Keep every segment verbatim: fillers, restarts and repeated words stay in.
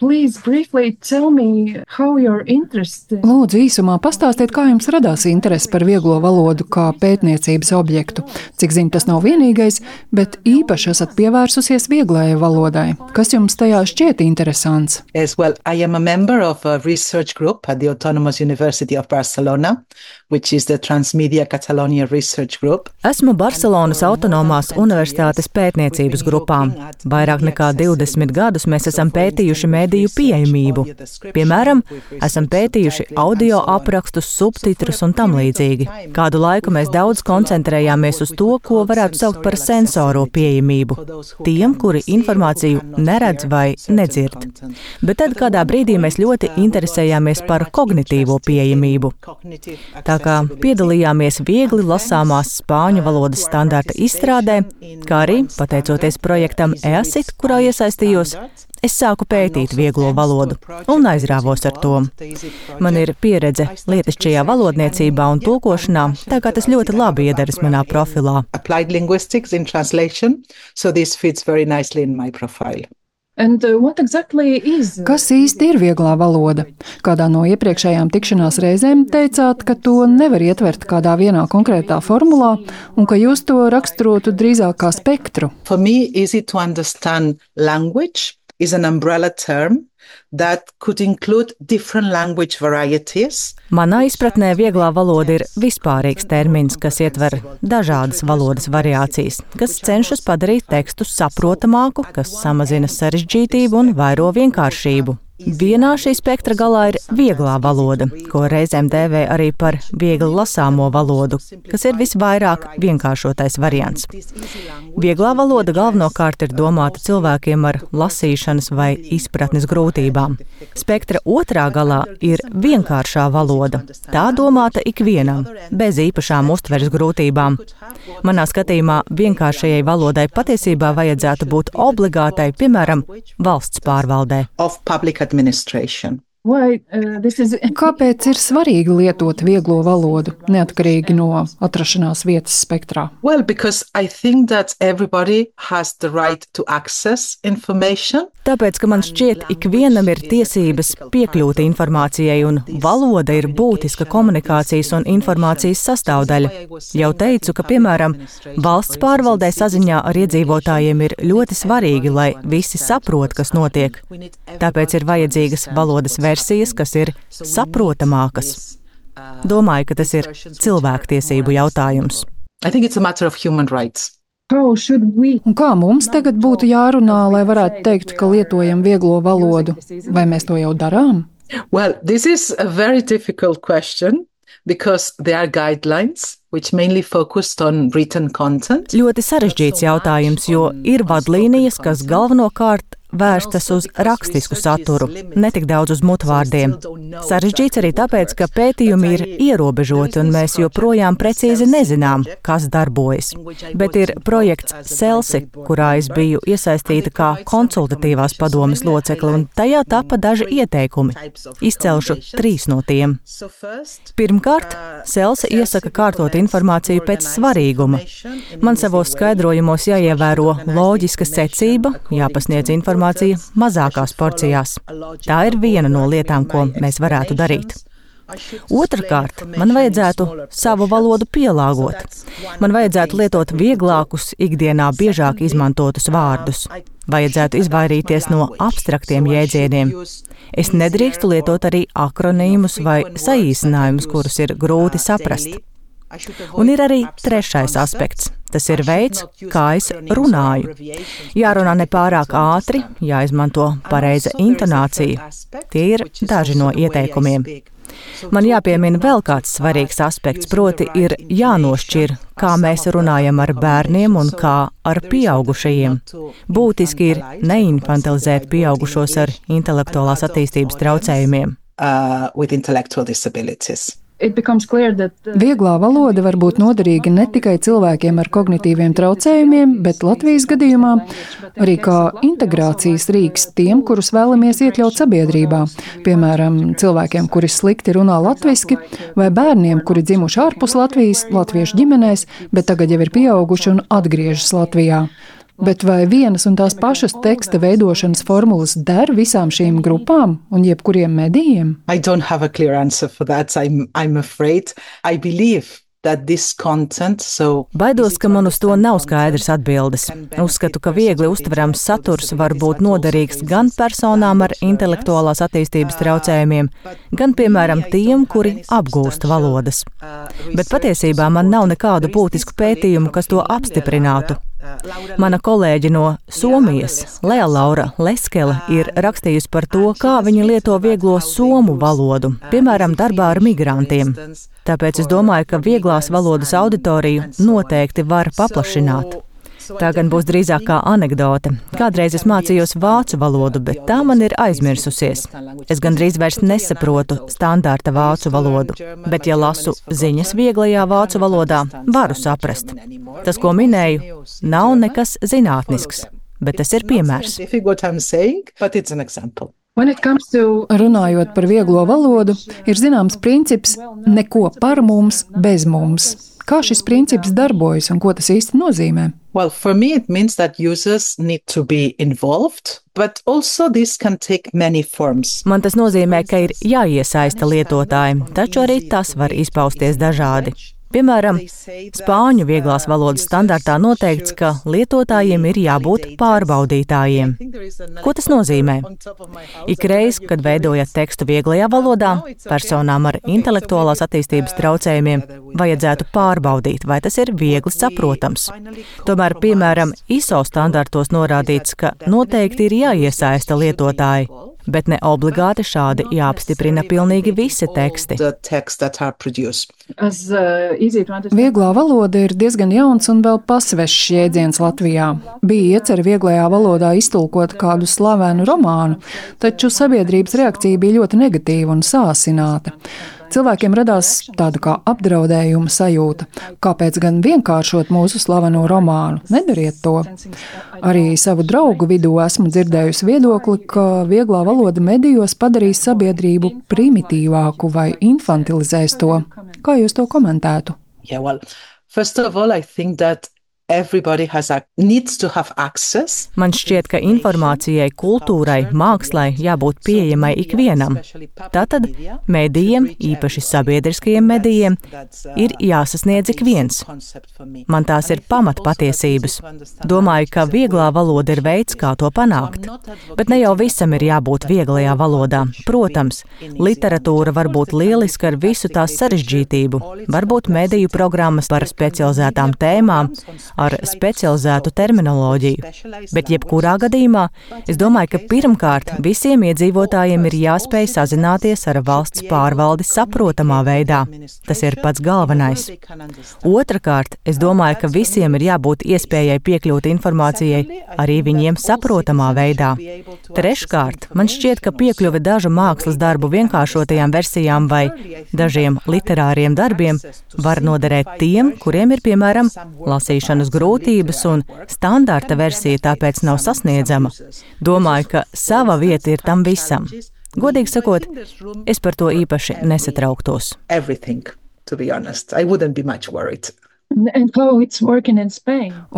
Please briefly tell me how your interest. Lūdzu, īsumā pastāstiet, kā jums radās interese par vieglo valodu kā pētniecības objektu. Cik zinu, tas nav vienīgais, bet īpaši esat pievērsusies vieglajai valodai. Kas jums tajā šķiet interesants? Yes, well, I am a member of a research group at the Autonomous University of Barcelona, which is the Transmedia Catalonia Research Group. Esmu Barcelonas Autonomās universitātes pētniecības grupā. Vairāk nekā divdesmit gadus mēs esam pētījuši mediju pieejamību. Piemēram, esam pētījuši audio aprakstus, subtitrus un tam līdzīgi. Kādu laiku mēs daudz koncentrējāmies uz to, ko varētu saukt par sensoro pieejamību, tiem, kuri informāciju neredz vai nedzird. Bet tad kādā brīdī mēs ļoti interesējāmies par kognitīvo pieejamību. Tā kā piedalījāmies viegli lasāmās spāņu valodas standarta izstrādē, kā arī, pateicoties projektam E A S I T, kurā iesaistījos, es sāku pētīt vieglo valodu un aizrāvos ar to. Man ir pieredze lietišķajā valodniecībā un tulkošanā, tā kā tas ļoti labi iederas manā profilā. Applied linguistics in translation, so this fits very nicely in my profile. And what exactly is? Kas īsti ir vieglā valoda? Kādā no iepriekšējām tikšanās reizēm teicāt, ka to nevar ietvert kādā vienā konkrētā formulā un ka jūs to raksturotu drīzāk kā spektru. For me, easy to understand language is an umbrella term that could include different language varieties. Manā izpratnē vieglā valoda ir vispārīgs termins, kas ietver dažādas valodas variācijas, kas cenšas padarīt tekstu saprotamāku, kas samazina sarežģītību un vairo vienkāršību. Vienā šī spektra galā ir vieglā valoda, ko reizēm dēvē arī par viegli lasāmo valodu, kas ir visvairāk vienkāršotais variants. Vieglā valoda galvenokārt ir domāta cilvēkiem ar lasīšanas vai izpratnes grūtībām. Spektra otrā galā ir vienkāršā valoda. Tā domāta ikvienam, bez īpašām uztveres grūtībām. Manā skatījumā vienkāršajai valodai patiesībā vajadzētu būt obligātai, piemēram, valsts pārvaldē. Administration. Why, uh, this is... Kāpēc ir svarīgi lietot vieglo valodu, neatkarīgi no atrašanās vietas spektrā? Well, because I think that everybody has the right to access information. Tāpēc, ka man šķiet, ikvienam ir tiesības piekļūt informācijai, un valoda ir būtiska komunikācijas un informācijas sastāvdaļa. Jau teicu, ka, piemēram, valsts pārvaldē saziņā ar iedzīvotājiem ir ļoti svarīgi, lai visi saprot, kas notiek. Tāpēc ir vajadzīgas valodas versijas, kas ir saprotamākas. Domāju, ka tas ir cilvēktiesību jautājums. I think it's a matter of human rights. Un kā mums tagad būtu jārunā, lai varētu teikt, ka lietojam vieglo valodu? Vai mēs to jau darām? Well, this is a very difficult question because there are guidelines which mainly focused on written content. Ļoti sarežģīts jautājums, jo ir vadlīnijas, kas galvenokārt vērstas uz rakstisku saturu, netik daudz uz mutvārdiem. Sarežģīts arī tāpēc, ka pētījumi ir ierobežoti un mēs joprojām precīzi nezinām, kas darbojas. Bet ir projekts Celsi, kurā es biju iesaistīta kā konsultatīvās padomes locekle, un tajā tapa daži ieteikumi. Izcelšu trīs no tiem. Pirmkārt, Celsi iesaka kārtot informāciju pēc svarīguma. Man savos skaidrojumos jāievēro loģiska secība, jāpasniedz informācija mazākās porcijās. Tā ir viena no lietām, ko mēs varētu darīt. Otrakārt, man vajadzētu savu valodu pielāgot. Man vajadzētu lietot vieglākus, ikdienā biežāk izmantotus vārdus. Vajadzētu izvairīties no abstraktiem jēdzieniem. Es nedrīkstu lietot arī akronīmus vai saīsinājumus, kurus ir grūti saprast. Un ir arī trešais aspekts. Tas ir veids, kā es runāju. Jārunā nepārāk ātri, jāizmanto pareiza intonācija. Tie ir daži no ieteikumiem. Man jāpiemina vēl kāds svarīgs aspekts, proti ir jānošķir, kā mēs runājam ar bērniem un kā ar pieaugušajiem. Būtiski ir neinfantilizēt pieaugušos ar intelektuālās attīstības traucējumiem. Uh, with intellectual disabilities. Vieglā valoda var būt noderīga ne tikai cilvēkiem ar kognitīviem traucējumiem, bet Latvijas gadījumā arī kā integrācijas rīks tiem, kurus vēlamies iekļaut sabiedrībā. Piemēram, cilvēkiem, kuri slikti runā latviski, vai bērniem, kuri dzimuši ārpus Latvijas, latviešu ģimenēs, bet tagad jau ir pieauguši un atgriežas Latvijā. Bet vai vienas un tās pašas teksta veidošanas formulas der visām šīm grupām un jebkuriem medijiem? I don't have a clear answer for that. I'm, I'm afraid. I believe that this content, so Baidos, ka man uz to nav skaidrs atbildes. Uzskatu, ka viegli uztverams saturs var būt noderīgs gan personām ar intelektuālās attīstības traucējumiem, gan, piemēram, tiem, kuri apgūst valodas. Bet patiesībā man nav nekādu būtisku pētījumu, kas to apstiprinātu. Mana kolēģe no Somijas, Lea Laura Leskele, ir rakstījusi par to, kā viņa lieto vieglo somu valodu, piemēram, darbā ar migrantiem. Tāpēc es domāju, ka vieglās valodas auditoriju noteikti var paplašināt. Tā gan būs drīzāk kā anekdote. Kādreiz es mācījos vācu valodu, bet tā man ir aizmirsusies. Es gandrīz vairs nesaprotu standarta vācu valodu, bet ja lasu ziņas vieglajā vācu valodā, varu saprast. Tas, ko minēju, nav nekas zinātnisks, bet tas ir piemērs. Runājot par vieglo valodu, ir zināms princips neko par mums, bez mums. Kā šis princips darbojas un ko tas īsti nozīmē? Well, for me it means that users need to be involved, but also this can take many forms. Man tas nozīmē, ka ir jāiesaista lietotāji, taču arī tas var izpausties dažādi. Piemēram, spāņu vieglās valodas standartā noteikts, ka lietotājiem ir jābūt pārbaudītājiem. Ko tas nozīmē? Ikreiz, kad veidojat tekstu vieglajā valodā, personām ar intelektuālās attīstības traucējumiem vajadzētu pārbaudīt, vai tas ir viegli saprotams. Tomēr, piemēram, I S O standartos norādīts, ka noteikti ir jāiesaista lietotāji, bet ne obligāti šādi jāapstiprina pilnīgi visi teksti. Vieglā valoda ir diezgan jauns un vēl pasvešs jēdziens Latvijā. Bija iecerē vieglajā valodā iztulkot kādu slavenu romānu, taču sabiedrības reakcija bija ļoti negatīva un sāsināta. Cilvēkiem radās tāda kā apdraudējuma sajūta. Kāpēc gan vienkāršot mūsu slaveno romānu? Nedariet to. Arī savu draugu vidū esmu dzirdējusi viedokli, ka vieglā valoda medijos padarīs sabiedrību primitīvāku vai infantilizēs to. Kā jūs to komentētu? Yeah, well, first of all, I think that everybody has a, needs to have access. Man šķiet, ka informācijai, kultūrai, mākslai jābūt pieejamai ikvienam. Tātad medijiem, īpaši sabiedriskajiem medijiem, ir jāsasniedz ik viens. Man tās ir pamatpatiesības. Domāju, ka vieglā valoda ir veids, kā to panākt. Bet ne jau visam ir jābūt vieglajā valodā. Protams, literatūra var būt lieliska ar visu tās sarežģītību. Varbūt mediju programmas par specializētām tēmām, ar specializētu terminoloģiju. Bet jebkurā gadījumā es domāju, ka pirmkārt visiem iedzīvotājiem ir jāspēj sazināties ar valsts pārvaldi saprotamā veidā. Tas ir pats galvenais. Otrakārt, es domāju, ka visiem ir jābūt iespējai piekļūt informācijai arī viņiem saprotamā veidā. Treškārt, man šķiet, ka piekļuve dažu mākslas darbu vienkāršotajām versijām vai dažiem literāriem darbiem var noderēt tiem, kuriem ir, piemēram, lasīšanas grūtības un standarta versija tāpēc nav sasniedzama. Domāju, ka sava vieta ir tam visam. Godīgi sakot, es par to īpaši nesatrauktos.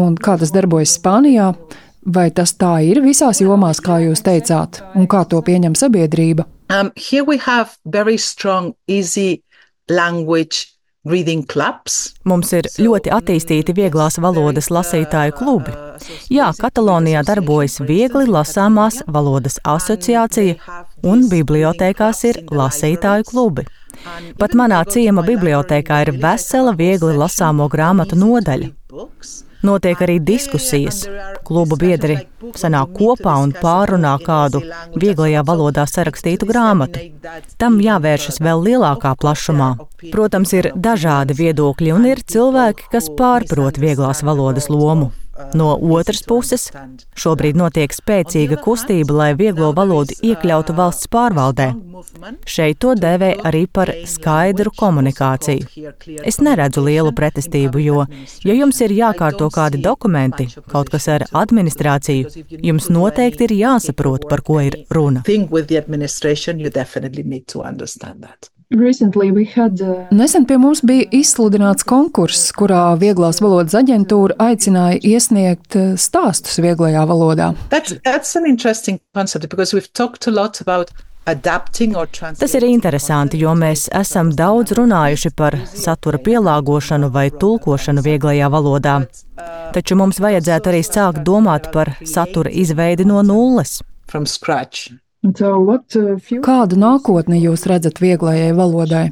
Un kā tas darbojas Spānijā? Vai tas tā ir visās jomās, kā jūs teicāt? Un kā to pieņem sabiedrība? Um, here we have very strong, easy language reading clubs. Mums ir ļoti attīstīti vieglās valodas lasītāju klubi. Jā, Katalonijā darbojas viegli lasāmās valodas asociācija un bibliotēkās ir lasītāju klubi. Pat manā ciema bibliotēkā ir vesela viegli lasāmo grāmatu nodaļa. Notiek arī diskusijas. Klubu biedri sanāk kopā un pārunā kādu vieglajā valodā sarakstītu grāmatu. Tam jāvēršas vēl lielākā plašumā. Protams, ir dažādi viedokļi un ir cilvēki, kas pārprot vieglās valodas lomu. No otras puses, šobrīd notiek spēcīga kustība, lai vieglo valodu iekļautu valsts pārvaldē. Šeit to dēvē arī par skaidru komunikāciju. Es neredzu lielu pretestību, jo, ja jums ir jākārto kādi dokumenti, kaut kas ar administrāciju, jums noteikti ir jāsaprot, par ko ir runa. Had, uh... Nesen pie mums bija izsludināts konkurss, kurā Vieglās valodas aģentūra aicināja iesniegt stāstus vieglajā valodā. That's, that's an interesting concept because we've talked a lot about Tas ir interesanti, jo mēs esam daudz runājuši par satura pielāgošanu vai tulkošanu vieglajā valodā. Taču mums vajadzētu arī sākt domāt par satura izveidi no nulles. Kādu nākotni jūs redzat vieglajai valodai?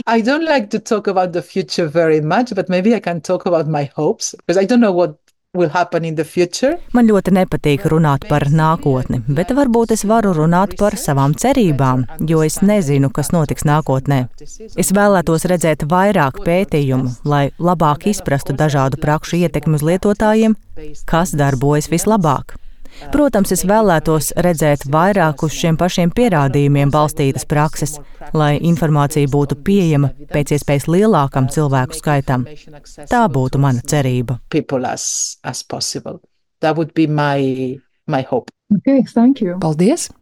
I don't like to talk about the future very much, but maybe I can talk about my hopes, because I don't know what will happen in the future. Man ļoti nepatīk runāt par nākotni, bet varbūt es varu runāt par savām cerībām, jo es nezinu, kas notiks nākotnē. Es vēlētos redzēt vairāk pētījumu, lai labāk izprastu dažādu prakšu ietekmi uz lietotājiem, kas darbojas vislabāk. Protams, es vēlētos redzēt vairāk uz šiem pašiem pierādījumiem balstītas prakses, lai informācija būtu pieejama pēc iespējas lielākam cilvēku skaitam. Tā būtu mana cerība. As, as possible. That would be my, my hope. Okay, thank you. Paldies!